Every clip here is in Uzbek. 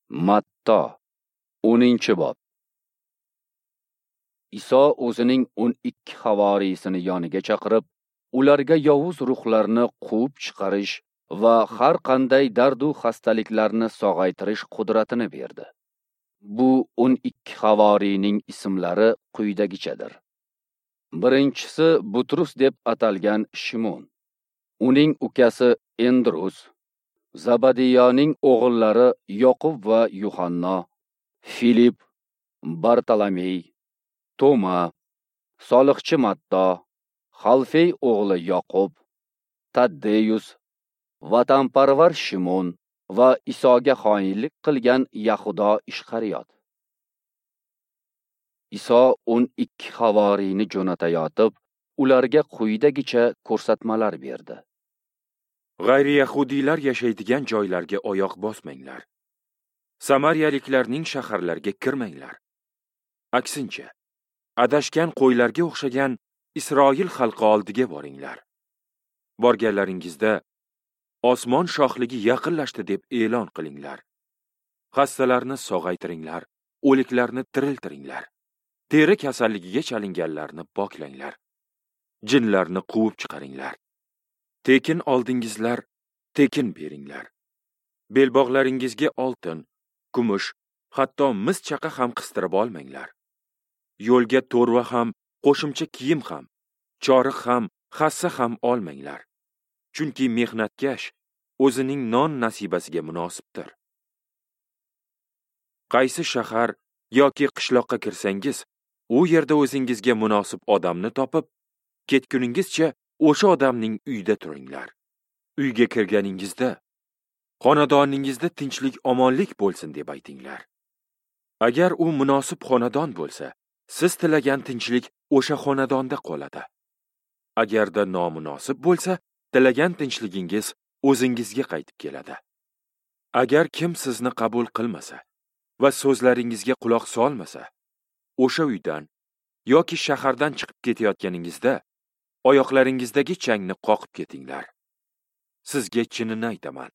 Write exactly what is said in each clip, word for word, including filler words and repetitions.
Matto, o'ninchi bob. Iso o'zining o'n ikki havorisini yoniga chaqirib, ularga yovuz ruhlarni quvib chiqarish va har qanday dardu xastaliklarni sog'aytirish qudratini berdi. Bu o'n ikki havoriyning ismlari quyidagichadir. Birinchisi Butrus deb atalgan Shimon, uning ukasi Endrus, Zabadiyoning o'g'illari Yoqub va Yuhanno, Filip, Bartolomey, Toma, soliqchi Matto, Xalfey o'g'li Yoqub, Taddeyus, vatanparvar Shimon va Isoga xoinlik qilgan Yahudo Ishqariyot. Iso o'n ikki havoriyni jo'natayotib, ularga quyidagicha ko'rsatmalar berdi. G'ayri-yahudiylar yashaydigan joylarga oyoq bosmanglar. Samariyaliklarning shaharlariga kirmanglar. Aksincha, adashgan qo'ylarga o'xshagan Isroil xalqi oldiga boringlar. Borganlaringizda osmon shohligi yaqinlashdi deb e'lon qilinglar. Xastalarni sog'aytiringlar, o'liklarni tiriltiringlar. Teri kasalligiga chalinganlarni poklanglar. Jinlarni quvib chiqaringlar. Tekin oldingizlar, tekin beringlar. Belbog'laringizga oltin, kumush, hatto mis chaqa ham qistirib olmanglar. Yo'lga to'rva ham, qo'shimcha kiyim ham, choriq ham, hassa ham olmanglar. Chunki mehnatkash o'zining non nasibasiga munosibdir. Qaysi shahar yoki qishloqqa kirsangiz, u yerda o'zingizga munosib odamni topib, ketguningizcha o'sha odamning uyida turinglar. Uyga kirganingizda, xonadoningizda tinchlik, omonlik bo'lsin deb aytinglar. Agar u munosib xonadon bo'lsa, siz tilagan tinchlik o'sha xonadonda qoladi. Agarda nomunosib bo'lsa, tilagan tinchligingiz o'zingizga qaytib keladi. Agar kim sizni qabul qilmasa va so'zlaringizga quloq solmasa, o'sha uydan yoki shahardan chiqib ketayotganingizda oyoqlaringizdagi changni qoqib ketinglar. Sizga chinini aytaman.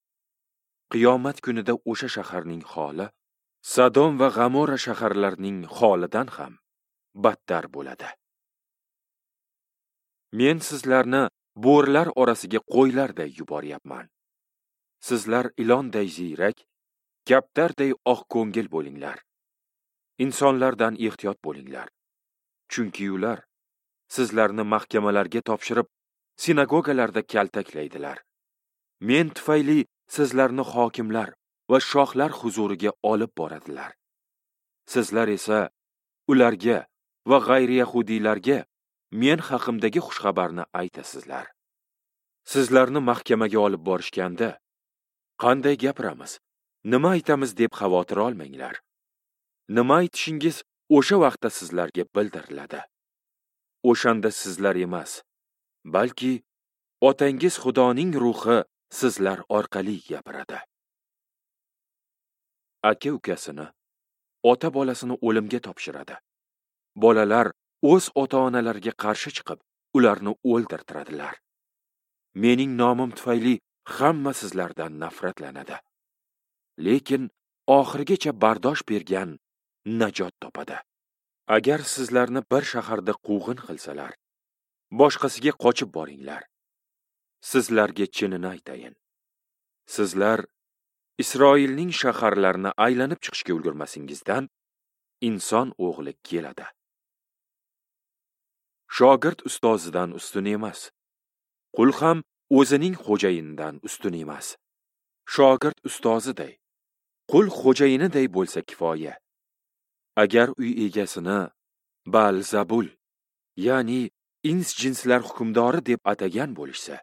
Qiyomat kunida o'sha shaharning holi Sodom va G'amora shaharlarining holidan ham battar bo'ladi. Men sizlarni bo'rilar orasiga qo'ylarday yuboryapman. Sizlar ilonday ziyrak, kaptarday oq ko'ngil bo'linglar. Insonlardan ehtiyot bo'linglar. Chunki ular sizlarni mahkamalarga topshirib, sinagogalarda kaltaklaydilar. Men tufayli sizlarni hokimlar va shohlar huzuriga olib boradilar. Sizlar esa ularga va g'ayri-yahudiylarga men haqimdagi xushxabarni aytasizlar. Sizlarni mahkamaga olib borishganda, qanday gapiramiz, nima aytamiz deb xavotir olmanglar. Nima aytishingiz o'sha vaqtda sizlarga bildiriladi. O'shanda sizlar emas, balki otangiz Xudoning ruhi sizlar orqali gapiradi. Aka ukasini, ota bolasini o'limga topshiradi. Bolalar o'z ota-onalariga qarshi chiqib, ularni o'ldirtiradilar. Mening nomim tufayli hamma sizlardan nafratlanadi. Lekin oxirigacha bardosh bergan najot topadi. Agar sizlarni bir shaharda quvg'in qilsalar, boshqasiga qochib boringlar. Sizlarga chinini aytayin. Sizlar Isroilning shaharlarini aylanib chiqishga ulgurmasingizdan inson o'g'li keladi. Shogird ustozidan ustun emas, qul ham o'zining xo'jayinidan ustun emas. Shogird ustoziday, qul xo'jayiniday bo'lsa kifoya. Agar uy egasini Ba'l-Zabul, ya'ni ins jinslar hukmdori deb atagan bo'lishsa,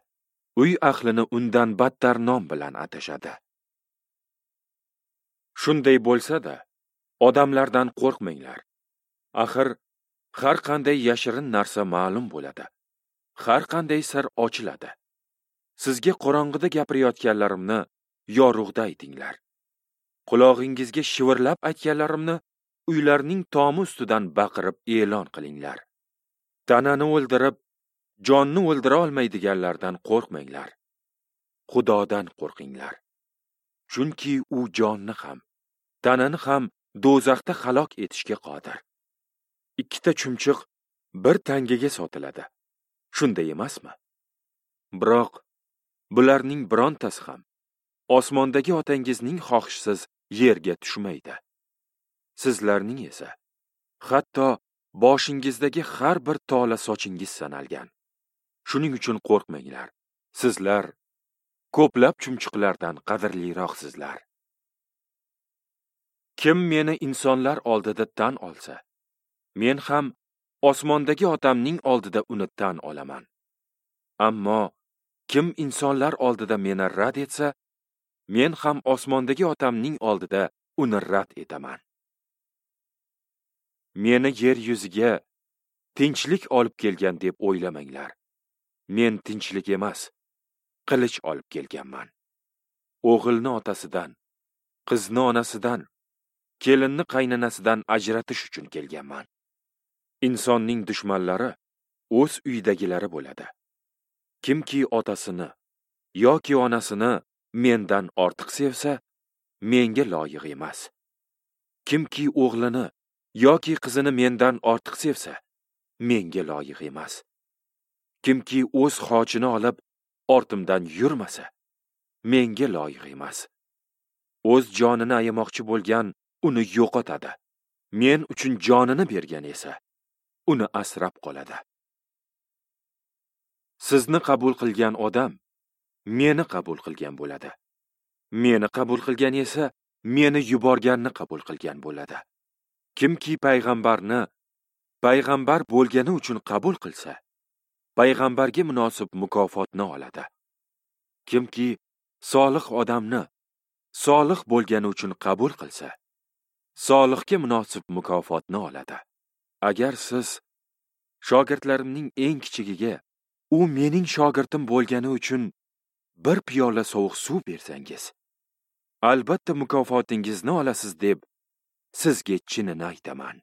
uy ahlini undan battar nom bilan atashadi. Shunday bo'lsa-da, odamlardan qo'rqmanglar. Axir har qanday yashirin narsa ma'lum bo'ladi. Har qanday sir ochiladi. Sizga qorong'ida gapirayotganlarimni yorug'da aytinglar. Qulog'ingizga shivirlab aytganlarimni uylarning tomi ustidan baqirib e'lon qilinglar. Tanani o'ldirib, jonni o'ldira olmaydiganlardan qo'rqmanglar. Xudodan qo'rqinglar. Chunki u jonni ham, tanani ham do'zaxda halok etishga qodir. Ikkita chumchuq bir tangaga sotiladi. Shunday emasmi? Biroq bularning birontasi ham osmondagi otangizning xohishisiz yerga tushmaydi. Sizlarning esa hatto boshingizdagi har bir tola sochingiz sanalgan. Shuning uchun qo'rqmanglar. Sizlar ko'plab chumchuqlardan qadrliroqsizlar. Kim meni insonlar oldida tan olsa, men ham osmondagi otamning oldida uni tan olaman. Ammo kim insonlar oldida meni rad etsa, men ham osmondagi otamning oldida uni rad etaman. Meni yer yuziga tinchlik olib kelgan deb o'ylamanglar. Men tinchlik emas, qilich olib kelganman. O'g'ilni otasidan, qizni onasidan, kelinni qaynonasidan ajratish uchun kelganman. Insonning dushmanlari o'z uyidagilari bo'ladi. Kimki otasini yoki onasini mendan ortiq sevsa, menga loyiq emas. Kimki o'g'lini yoki qizini mendan ortiq sevsa, menga loyiq emas. Kimki o'z xochini olib ortimdan yurmasa, menga loyiq emas. O'z jonini ayamoqchi bo'lgan uni yo'qotadi. Men uchun jonini bergan esa uni asrab qoladi. Sizni qabul qilgan odam meni qabul qilgan bo'ladi. Meni qabul qilgan esa meni yuborganni qabul qilgan bo'ladi. Kimki payg'ambarni payg'ambar bo'lgani uchun qabul qilsa, payg'ambarga munosib mukofotni oladi. Kimki solih odamni solih bo'lgani uchun qabul qilsa, solihga munosib mukofotni oladi. Agar siz shogirdlarimning eng kichigiga u mening shogirdim bo'lgani uchun bir piyola sovuq suv bersangiz, albatta mukofotingizni olasiz deb sizga chinini aytaman.